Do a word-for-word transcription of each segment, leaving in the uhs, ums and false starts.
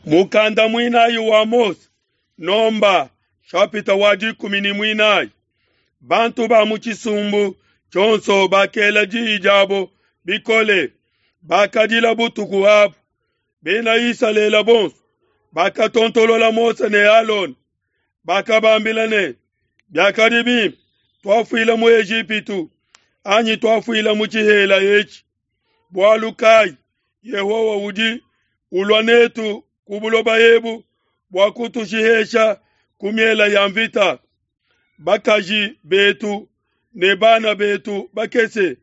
Mukanda muinayi wa Mose, Nomba chapitre wa dikumi ne muinayi. Bantu ba mu tshisumbu tshionso bakela diyi diabo bikole, bakadila butuku abu. Bena Isalele bonso bakatontolola Mose ne Alona, bakabambila ne, biakadi bimpe tuafuila mu Ejipitu anyi tuafuila mu tshihela etshi. Bualu kayi Yehowa udi ulua netu ku buloba ebu bua kutushihesha ku miela ya mvita. Bakaji betu ne bana betu bakese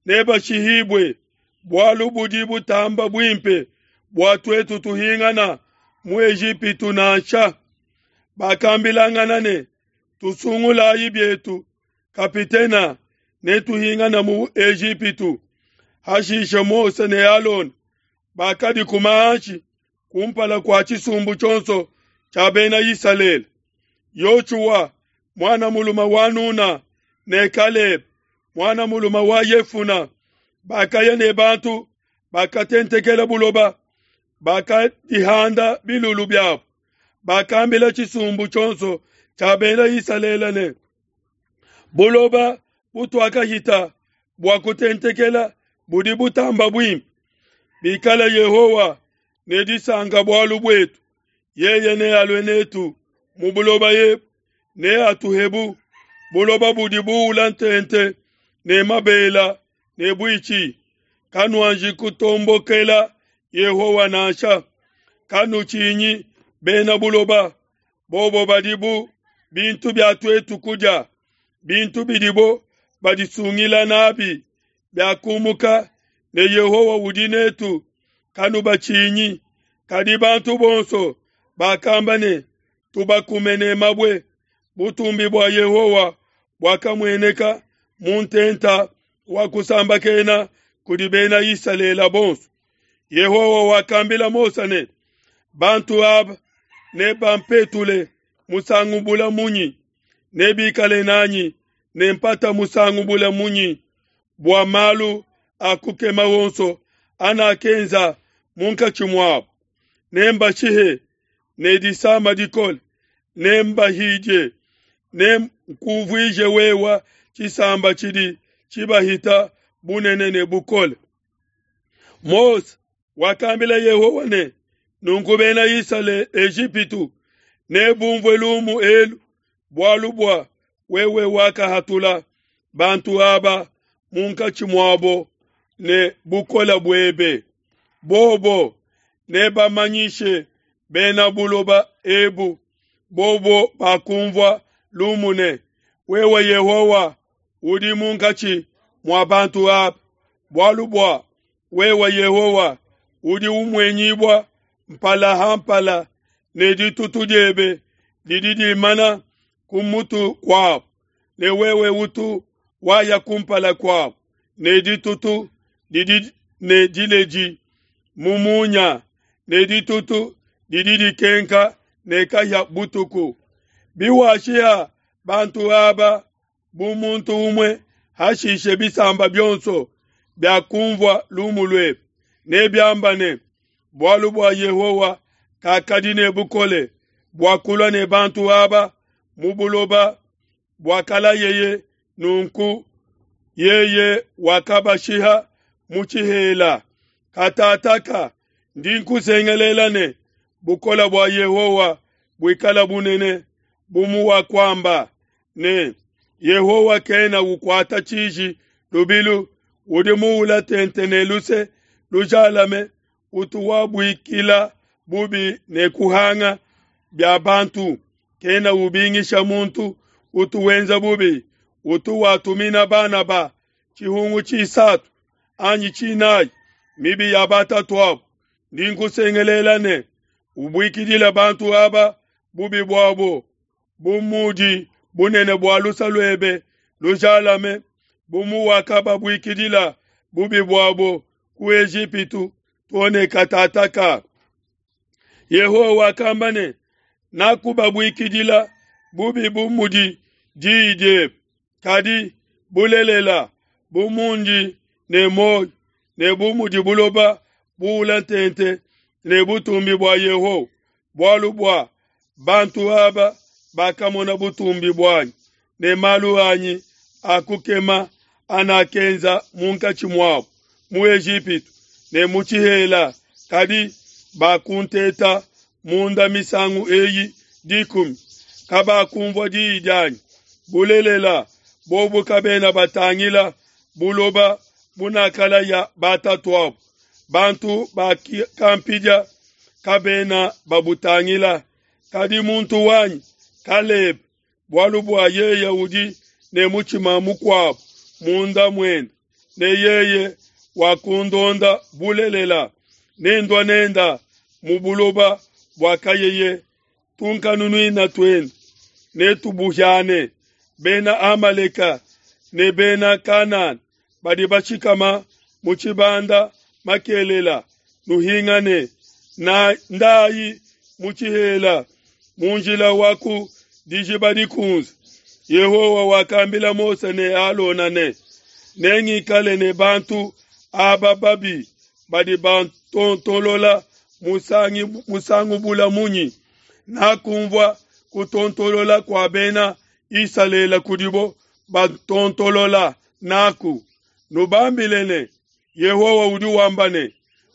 nebashihibue, bualu budi butamba buimpe bua tuetu tuhingana mu Ejipitu nansha. Bakambilangana ne, tusungulayi bietu kapitena ne tuhingana mu Ejipitu. Hashishe Mose ne Alona bakadikuma hanshi kumpala kua tshisumbu tshionso tshia bena Isalele. Yoshua mwana mulume wa Nuna ne Kalebe mwana mulume wa Yefuna bakaya ne bantu bakatentekela buloba, bakadihanda bilulu biabo. Bakambila tshisumbu tshionso tshia bena Isalele ne, buloba butuakahita bua kutentekela budi butamba buimpe. Bikala Yehowa ne disanka bualu buetu, yeye nealue netu mu buloba ebu, neatuhebu buloba budi buula ntente ne mabela ne buitshi. Kanuanji kutombokela Yehowa nansha, kanutshinyi bena buloba, bobo badi bu bintu bia tuetu kudia, bintu bidibo badisungila nabi biakumuka, ne Yehowa udi netu, kanubatshinyi. Kadi bantu bonso bakamba ne, tubakume ne mabue. Butumbi bua Yehowa buakamueneka mu ntenta wa kusambakena kudi bena Isalele bonso. Yehowa wakambila Mose ne, bantu aba nebampetule musangu bula munyi? Nebikale nanyi ne mpata musangu bula munyi bua malu a kukema wonso anakenza munkatshi muabo? Nembashihe ne disama dikole, nembahidie, nenkuvuije wewa tshisamba tshidi tshibahita bunene ne bukole. Mose wakambila Yehowa ne, nunku bena Isalele Ejipitu nebumvue lumu elu, bualu bua wewe wakahatula bantu aba munkatshi muabo ne bukole buebe. Bobo nebamanyishe bena buloba ebu, bobo bakumvua lumu ne, wewe Yehowa udi munkatshi mua bantu aba, bualu bua wewe Yehowa udi umuenyibua mpala ha mpala, ne ditutu diebe didi dimana ku mutu kuabo, ne wewe utu waya kumpala kuabo ne ditutu didi ne dileji mu munya, ne ditutu didi dikenka ne kahia butuku. Biwashiha bantu aba bu muntu umue, hashishe bisamba bionso biakumvua lumu luebe nebiamba ne, bualu bua Yehowa kakadi ne bukole bua kulua ne bantu aba mu buloba buakalayeye, nunku yeye wakabashiha mu tshihela. Katataka ndi nkusengelela ne, bukole bua Yehowa buikala bunene bu muwakuamba ne, Yehowa kena ukuata tshiji lubilu, udi muula tente ne luse lujalame, utu wabuikila bubi ne kuhanga bia bantu, kena ubingisha muntu utu wenza bubi, utu watumina bana ba tshihungu tshisatu anyi tshinayi mibi ya batatuabo. Ndi nkusengelela ne, ubuikidile bantu aba bubi buabo, bu mudi bunene bua luse luebe lujalame, bu muwakababuikidila bubi buabo ku Ejipitu too katataka. Yehowa wakamba ne, nakubabuikidila bubi bu mudi diyi diebe, kadi bulelela bu mundi ne muoyo ne bu mudi buloba buula ntente ne butumbi bua Yehowa, bualu bua bantu aba bakamona butumbi buanyi ne malu anyi a kukema anakenza munkatshi muabo mu Ejipitu ne mu tshihela, kadi bakunteta munda misangu eyi dikumi, kabakumvua diyi dianyi. Bulelela, bobo kabena batangila buloba bunakalaya batatuabo, bantu bakampidia kabena babutangila. Kadi muntu wanyi Kalebe, bualu bua yeye udi ne mutshima mukuabo munda muende, ne yeye wakundonda bulelela, nendua nenda mu buloba buakayeye, tunkanunuina tuende netubuhiane. Bena Amaleka ne Bena Kanana badi bashikama mu tshibanda makelela, nuhingane na ndayi mu tshihela mu njila wa ku Dijiba Dikunze. Yehowa wakambila Mose ne Alona ne, nengikale ne bantu aba babi badi bantontolola musangi musangu bula munyi? Nakumvua kutontolola kua Bena Isalele kudibo batontolola naku. Nubambile ne, Yehowa udi wamba ne,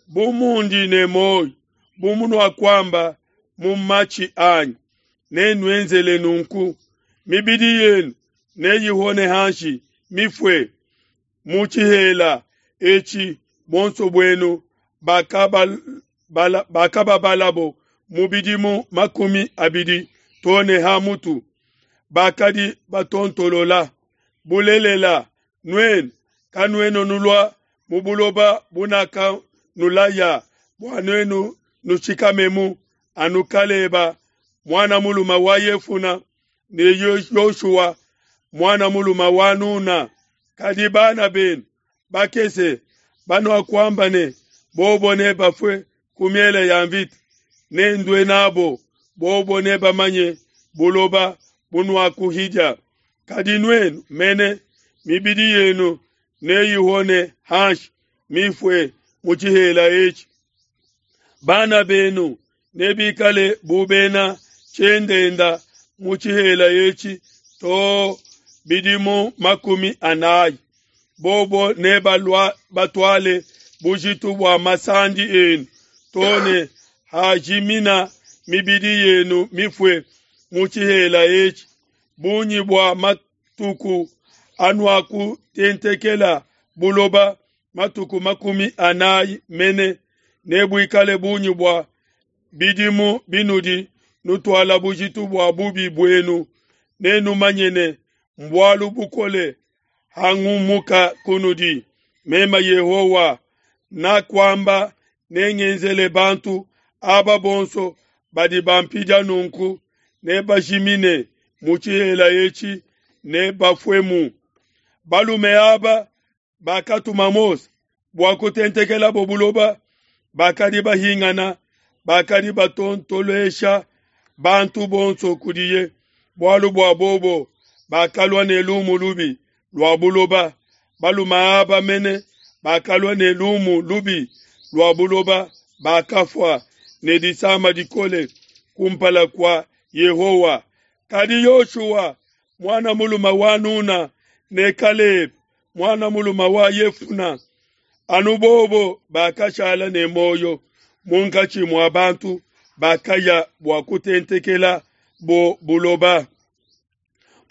bu mundi ne muoyo, bu munuakuamba mu matshi anyi, nenuenzele nunku. Mibidi yenu neyihone hanshi mifue mu tshihela etshi, buonso buenu bakababalabo mu bidimu makumi abidi to ne ha mutu, bakadi batontolola. Bulelela, nuenu kanuena nulua mu buloba bunakanulaya bua nuenu nushikamemu, anu Kaleba muana mulume wa Yefuna ne Yoshua muana mulume wa Nuna. Kadi bana benu bakese banuakuamba ne, bobo nebafue ku miele ya mvita, nendue nabo, bobo nebamanye buloba bunuakuhidia. Kadi nuenu mene, mibidi yenu neyihone hanshi mifue mu tshihela etshi. Bana benu nebikale bu bena tshiendenda mu tshihela etshi to bidimu makumi anayi. Bobo nebatuale bujitu bua masandi enu to ne hajimina mibidi yenu mifue mu tshihela etshi. Bungi bua matuku anuakutentekela buloba, matuku makumi anayi mene, nebuikale bungi bua bidimu binudi nutuala bujitu bua bubi buenu. Nenumanye ne mbualu bukole hangumuka kunudi. Meme Yehowa nakuamba, nengenzele bantu aba bonso badi bampidia nunku, nebajimine mu tshihela etshi, nebafuemu. Balume aba bakatuma Mose bua kutentekelabo buloba, bakadi bahingana, bakadi batontolesha bantu bonso kudiye, bualu bua bobo bakalua ne lumu lubi lua buloba. Balume aba mene bakalua ne lumu lubi lua buloba, bakafua ne disama dikole kumpala kua Yehowa. Kadi Yoshua muana mulume wa Nuna ne Kalebe muana mulume wa Yefuna, anu bobo bakashala ne muoyo munkatshi mua bantu bakaya bua kutentekela bo buloba.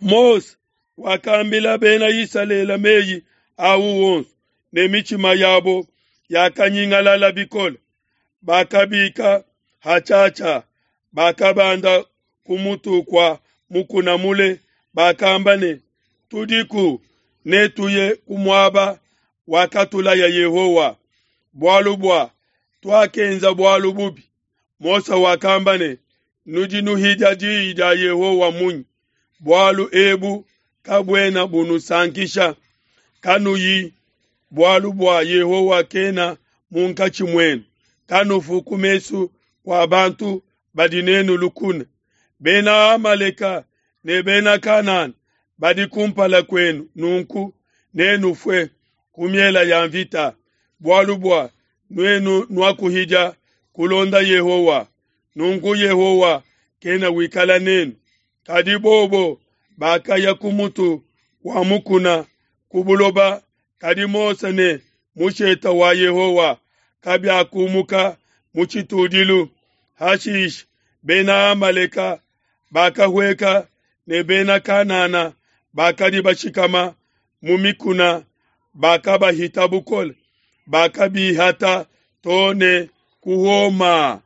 Mose wakambila Bena Isalele meyi au wonso, ne mitshima yabo yakanyingalala bikole. Bakabika hatshiatshia, bakabanda ku mutu kua mukuna mule, bakamba ne, tudiku netuye ku muaba wakatulaya Yehowa, bualu bua tuakenza bualu bubi. Mose wakamba ne, nudi nuhidia diyi dia Yehowa munyi? Bualu ebu kabuena bunusankisha. Kanuyi, bualu bua Yehowa kena munkatshi muenu. Kanufu ku mesu kua bantu badi nenu lukuna. Bena Amaleka ne Bena Kanana badi kumpala kuenu, nunku nenufue ku miele ya mvita, bualu bua nuenu nuakuhidia kulonda Yehowa, nunku Yehowa kena wikala nenu. Kadi bobo bakaya ku mutu kua mukuna ku buloba, kadi Mose ne mushete wa Yehowa kabiakumuka mu tshitudilu. Hashishe Bena Amaleka bakahueka ne Bena Kanana bakadi bashikama mu mikuna bakabahita bukole, bakabihata to ne ku Homa.